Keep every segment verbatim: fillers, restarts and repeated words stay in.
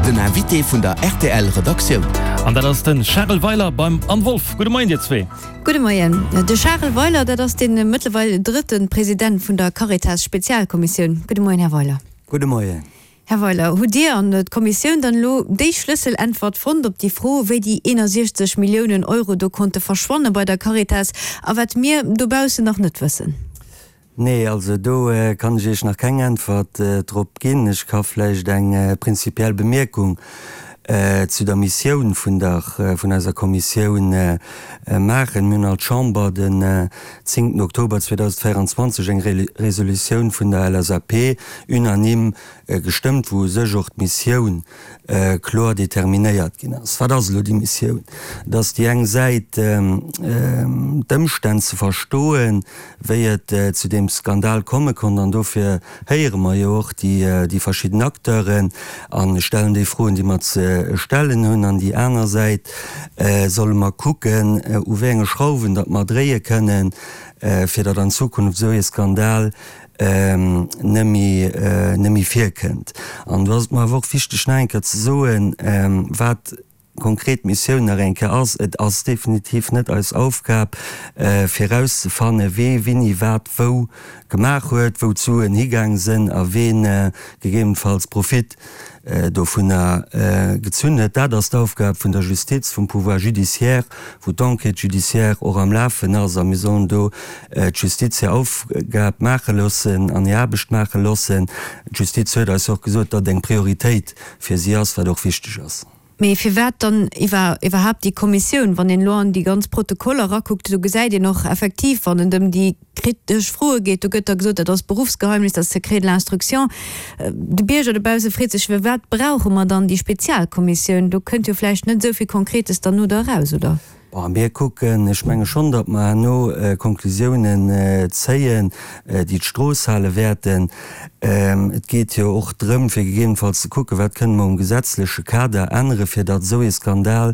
Den Invité vun der R T L Redaktioun. An dat ass den Charel Weiler beim Anne Wolff. Gudde Moien dir zwee. Gudde Moien. De Charel Weiler, dat ass den mëttlerweil drëtten President vun der Caritas Spezialkommissioun. Gudde Moien, Här Weiler. Gudde Moien. Här Weiler, hutt Dir an d'Kommissioun dann elo déi Schlësseläntwert fonnt op déi Fro, wéi déi eenundsechzeg Milliounen Euro do konnte verschwanne bei der Caritas a wat mir dobaussen nach net wëssen? Nee, also do äh, kann ech Iech nach keng Äntwert äh, drop ginn. Ech ka vläicht eng äh, prinzipiell Bemierkung äh, zu der Missioun vun der äh, vun eiser Kommissioun äh, äh, maachen. Mir hunn als Chamber den äh, zéngten Oktober zweedausendvéierenzwanzeg eng Re Resolutioun vun der L S A P unanime äh, gestëmmt, wou sech och d'Missioun äh, kloer determinéiert ginn ass. Wat ass elo déi Missioun? Dat ass déi eng Säit ähm, ähm, d'Ëmstänn ze verstoen, wéi et äh, zu deem Skandal komme konnt, an dofir héiere mer jo och déi, äh, déi verschidden Acteuren a stellen déi Froen, déi mer ze stellen hunn. An déi aner Säit äh, solle mer kucken, äh, u wéi enge Schrauwen datt mer dréie kënnen, äh, fir datt an Zukunft sou e Skandal ähm, net méi äh, net méi virkënnt. An do ass et mer awer och wichteg nach eng Kéier ze soen, ähm, wat konkret Missioun nach eng Kéier ass. Et ass definitiv net eis Aufgab, äh, fir erauszefanne wee wéini wat wou gemaach huet, wou d'Suen higaang sinn a ween äh, gegebenenfalls Profit äh, dovunner äh, gezunn huet. Dat ass d'Aufgab vun der Justiz, vum Pouvoir judiciaire, wou d'Enquête judiciaire och am Lafen ass, a mir sollen do äh, d'Justiz hir Aufgab maache loossen an hir Aarbecht maache loossen. D'Justiz huet eis och gesot, datt eng Prioritéit fir si ass, wat och wichteg ass. Mee firwat dann iwwer, iwwerhaapt déi Kommissioun, wann een elo an déi ganz Protokoller erakuckt, do gesäit een och effektiv, wann et ëm déi kritesch Froe geet, do gëtt da gesot, dat ass Berufsgeheimnis, dat ass Secret de l'instruction. Äh, de Bierger dobausse freet sech, firwat brauche mer dann déi Spezialkommissioun? Do kënnt jo vläicht net esou vill Konkretes dann no do eraus, oder? Bon, mir kucken, ech menge schonn, datt mer herno äh, Konklusiounen äh, zéien, äh, déi d'Strooss hale wäerten. Ähm, et geet jo och drëm, fir gegebenenfalls ze kucken, wat kënne mer um gesetzleche Kader ännere, fir datt sou e Skandal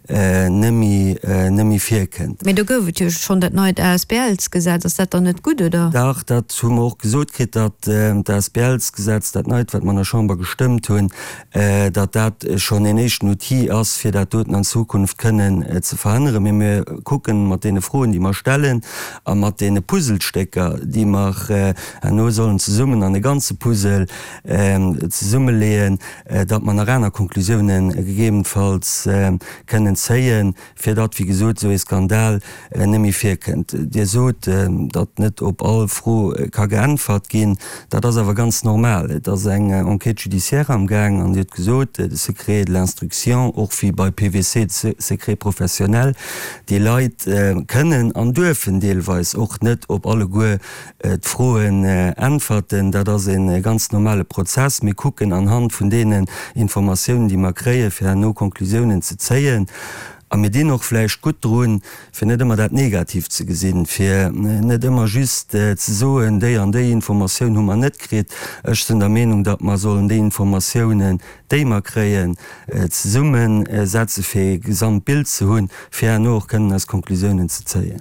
äh, net méi äh, net méi virkënnt. Mee do gouf et jo schonn dat neit A S B L-Gesetz, ass dat dann net gutt, oder? Dach, dat hu mer och gesot kritt, datt äh, d'A S B L-Gesetz, dat neit, wat mer an der Chamber gestëmmt hunn, äh, datt dat schonn en éischten Outil ass, fir dat doten an Zukunft kënnen äh, ze verhënneren. Mee mir kucken mat deene Froen, déi mer stellen, a mat deene Puzzlestécker, déi mer äh, herno sollen zesummen an e ganze Puzzle äh, zesummeleeën, äh, datt mer nach aner Konklusiounen gegebenenfalls äh, kënnen zéien, fir datt, wéi gesot, sou e Skandal äh, net méi virkënnt. Dir sot, äh, datt net op all Fro äh, ka geäntwert ginn, dat ass awer ganz normal. Et ass eng äh, Enquête judiciaire am Gaang an Dir hutt gesot, äh, de Secret de l'instruction, och wéi bei P W C de Secret professionnel, déi Leit äh, kënnen an duerfen deelweis och net op alleguer äh, d'Froen äh, äntwerten. Dat ass e ganz normale Prozess. Mir kucken anhand vun deenen Informatiounen, déi mer kréien, fir herno Konklusiounen ze zéien. A mir dinn och vläicht gutt drun, fir net ëmmer dat Negatiivt ze gesinn, fir net ëmmer just äh, ze soen, déi an déi Informatioun hu mer net kritt. Ech sinn der Meenung, datt mer sollen déi Informatiounen, déi mer kréien, äh, zesummesetze fir e Gesamtbild ze hunn, fir herno och kënnen eis Konklusiounen ze zéien.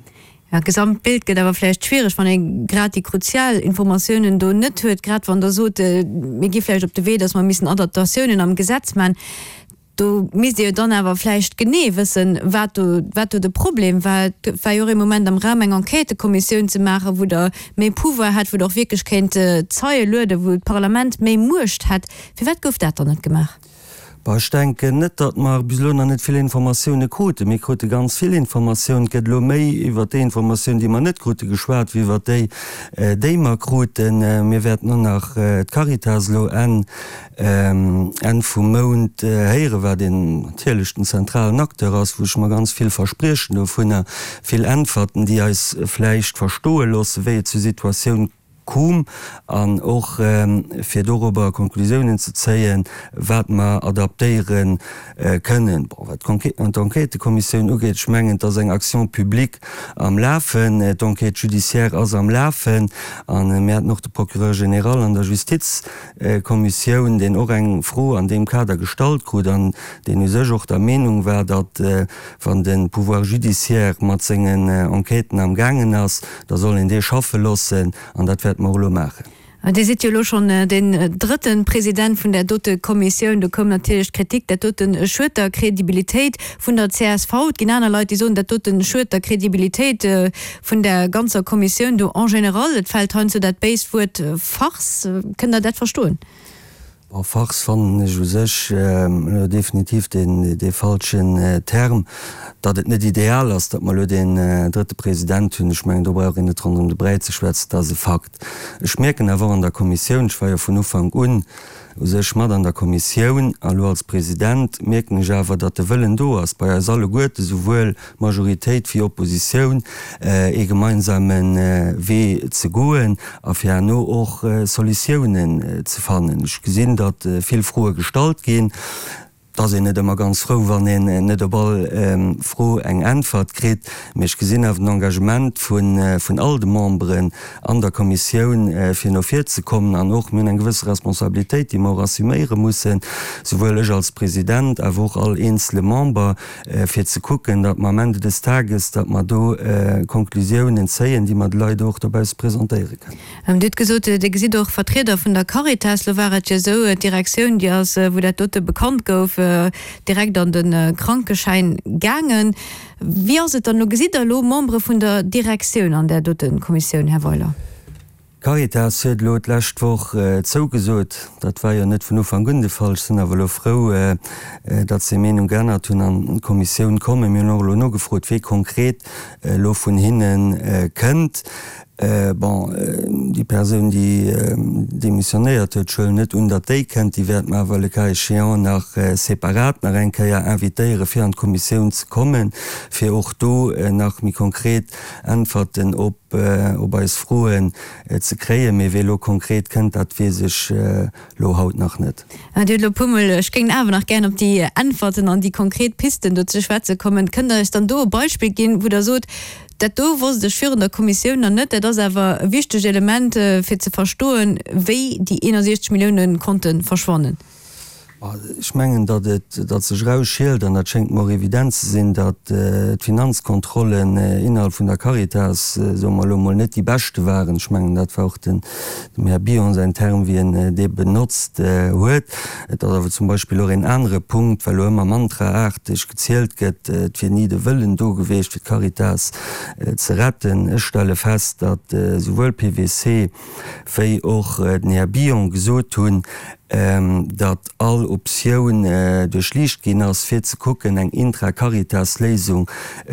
Ja, Gesamtbild gëtt awer vläicht schwiereg, wann ee grad déi kruzial Informatiounen do net huet, grad wann Der sot, äh, mir gi vläicht op de Wee, datt mer missen Adaptatiounen am Gesetz maachen. Do misst Dir dann awer vläicht genee wëssen, wat do, wat do de Problem war. Et war jo och ee Moment am Raum eng Enquêtëkommissioun ze maachen, wou Der méi Pouvoir hätt, wou Der och wierklech kéint äh, Zeie lueden, wou d'Parlament méi Muecht hätt. Firwat gouf dat dann net gemaach? Bah, ech denken net, datt mer bis elo nach net vill Informatioune kruten. Mir krute ganz vill Informatiounen. Et gëtt elo méi iwwer déi Informatioun, déi mer net krute geschwat, wéi iwwer déi, äh, déi mer kruten. Äh, mir wäerten och nach äh, d'Caritas elo Enn, ähm, Enn vum Mount äh, héieren, wat den natierlech den zentralen Acteur ass, wou ech mer ganz vill verspriechen dovunner, vill Äntwerten, déi eis vläicht verstoe loossen, wéi et zur Situatioun koum an och ähm, fir dorobber Konklusiounen ze zéien, wat mer adaptéieren äh, kënnen. Bon, wat d'Enquêtëkommissioun ugeet, ech mengen, et ass eng Action publique am Lafen, äh, d'Enquête judiciaire ass am Lafen an äh, mir haten och de Procureur général an der Justizkommissioun, deen och eng Fro an deem Kader gestallt krut an deen u sech och der Meenung war, datt äh, wann de Pouvoir judiciaire mat sengen äh, Enquêten am gaangen ass, da soll een dee schaffe loossen an dat wäerte mer elo maachen. Dir sidd jo elo schonn deen drëtte President vun där dote Kommissioun. Do koum natierlech d'Kritik, dat dote schued der Kredibilitéit vun der csv. Et ginn aner Leit, déi soen, dat dote schued der Kredibilitéit vun där ganzer Kommissioun do en général. Et fält heiansdo dat béist Wuert Farce. Kënnt Der dat verstoen? Bon, Farce fannen ech u sech elo definitiv dee falschen Term. Datt et net ideal ass, datt mer elo deen drëtte President hunn, ech mengen, do brauch een net ronderëm de Bräi ze schwätzen, dat ass e Fakt. Ech mierken awer och an der Kommissioun, ech war jo vun Ufank un u sech mat an der Kommissioun a lo als President, mierken ech awer, datt de Wëllen do ass bei eis alleguerten, souwuel Majoritéit wéi Oppositioun, ee gemeinsame Wee ze goen a fir herno och Solutiounen ze fannen. Ech gesinn, datt vill Froe gestallt ginn. Et ass een net ëmmer ganz frou, wann een net op all Fro eng Äntwert kritt. Mee ech gesinn awer den Engagement vun all de Memberen an der Kommissioun, fir no vir ze kommen. An och, mir hunn eng gewësse Responsabilitéit, déi mer och assuméiere mussen, souwuel ech als President, awer och all eenzele Member, fir ze kucken, datt mer am Ende des Tages, datt mer do Konklusiounen zéien, déi mer de Leit och dobausse presentéiere kënnen. Dir hutt gesot, Dir gesitt och Vertrieder vun der Caritas. Lo war et jo esou, d'Direktioun, déi ass, wou dat dote bekannt gouf, direkt an de Krankeschäin gaangen. Wéi ass et dann elo? Gesitt Der elo Membere vun der Direktioun an där dote Kommissioun, Här Weiler? D'Caritas huet elo d'lescht Woch zougesot. Dat war jo net vun Ufank un de Fall. Ech sinn awer elo frou, datt se hir Meenung geännert hunn an d'Kommissioun kommen. Mir hunn och elo nogefrot, wee konkret elo vun hinne kënnt. Bon, déi Persoun, déi demissionéiert huet, ech huelen net un, datt déi kënnt, déi wäerte mer awer le cas échéant nach separat nach eng Kéier invitéieren, fir an d'Kommissioun ze kommen, fir och do nach méi konkret Äntwerten op eis Froen ze kréien. Mee wee elo konkret kënnt, dat weess ech elo haut nach net. Dir hutt elo e puermol, ech géing awer nach gären op déi Äntwerten an déi konkret Pisten do ze schwätze kommen. Kënnt Der eis dann do e Beispill ginn, wou Der sot, Dat do wosst ech virun der Kommissioun nach net. Dat ass awer e wichtegt Element, fir ze verstoen, wéi déi eenundsechzeg Millioune konnte verschwannen. Ech mengen, datt et, datt sech erausschielt, an dat schéngt mer och evident ze sinn, datt d'Finanzkontrollen innerhalb vun der Caritas, soe mer elo emol, net déi beschte waren. Ech mengen, dat war och dem Här Billon säin Term, wéi en dee benotzt huet. Et ass awer zum Beispill och een anere Punkt, well elo ëmmer mantraaarteg gezielt gëtt, et wier ni de Wëllen do gewiescht, fir d'Caritas ze retten. Ech stelle fest, datt esouwuel PwC wéi och den Här Billon gesot hunn, datt all Optioun duerchliicht ginn ass, fir ze kucken, eng Intra-Caritas-Léisung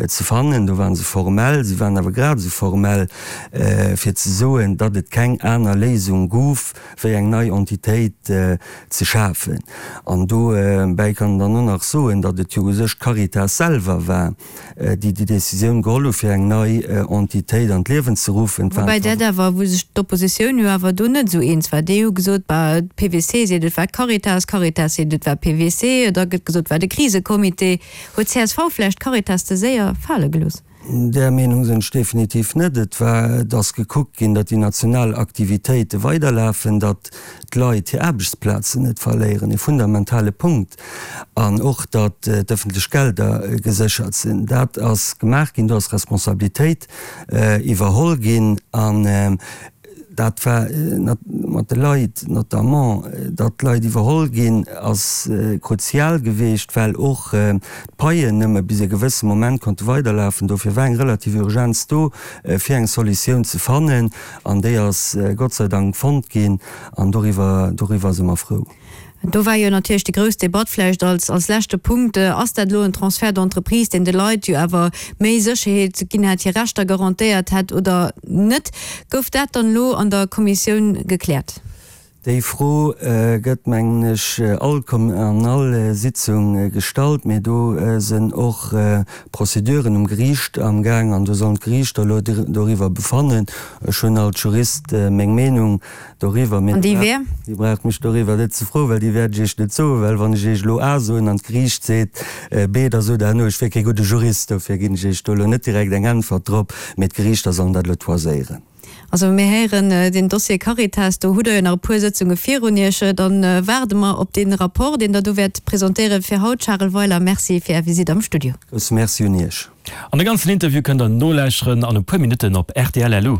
ze fannen. Do ware se formell. Si waren awer grad esou formell, fir ze soen, datt et keng aner Léisung gouf, wéi eng nei Entitéit ze schafen. An dobäi kann een dann och nach soen, datt et jo u sech d'Caritas selwer war, déi déi Décisioun geholl hu fir eng nei Entitéit an d'Liewen ze ruffen. Woubäi dat awer, wou sech d'Oppositioun jo awer do net esou eens war. Déi hu gesot, bah, d'PWC seet, et war d'Caritas, d'Caritas seet, et war PWC, da gëtt gesot, et war de Krisecomité. Huet csv vläicht d'Caritas ze séier fale gelooss? Där Meenung sinn ech definitiv net. Et war, et ass gekuckt ginn, datt déi national Aktivitéite weiderlafen, datt d'Leit hir Aarbechtsplazen net verléieren, e fundamentale Punkt, an och datt d'ëffentlech Gelder geséchert sinn. Dat ass gemaach ginn, do ass Responsabilitéit iwwerholl ginn. An Dat war mat de Leit, notamment datt d'Leit iwwerholl ginn, ass kruzial geweecht, well och d'Paien nëmme bis e gewësse Moment konnte weiderlafen. Dofir war eng relativ Urgenz do, fir eng Solutioun ze fannen, an déi ass Gott sei Dank fonnt ginn, an doriwwer, doriwwer si mer frou. Do war jo natierlech déi grouss Debatt vläicht als als leschte Punkt, Ass dat elo en Transfert d'entreprise, deen de Leit jo awer méi Sécherheet ginn hätt, hir Rechter garantéiert hätt oder net? Gouf dat dann elo an der Kommissioun gekläert? Déi Fro gëtt, mengen ech, all an all Sitzung gestallt, mee do sinn och Prozeduren um Geriicht amgaang an do sollen d'Geriichter elo doriwwer befannen. Ech hunn als Jurist meng Meenung Doriwwer, mee An déi wär? Dir braucht mech doriwwer net ze froen, well déi wäert ech Iech net soen, well wann ech Iech elo A soen an d'Geriicht seet B, da sot Der herno, ech wier kee gudde Jurist. Dofir ginn ech Iech do elo net direkt eng Äntwert drop, mee d'Geriichter sollen dat elo toiséieren. Also mir héieren, deen Dossier Caritas, do hutt Der jo nach e puer Sëtzunge virun Iech. Dann waarde mer op dee Rapport, deen Der do wäert presentéieren. Fir haut, Charel Weiler, Merci fir Är Visitt am Studio. Grousse Merci un Iech. An de ganzen Interview kënnt der nolauschteren an e puer Minutten op rtl. Lu.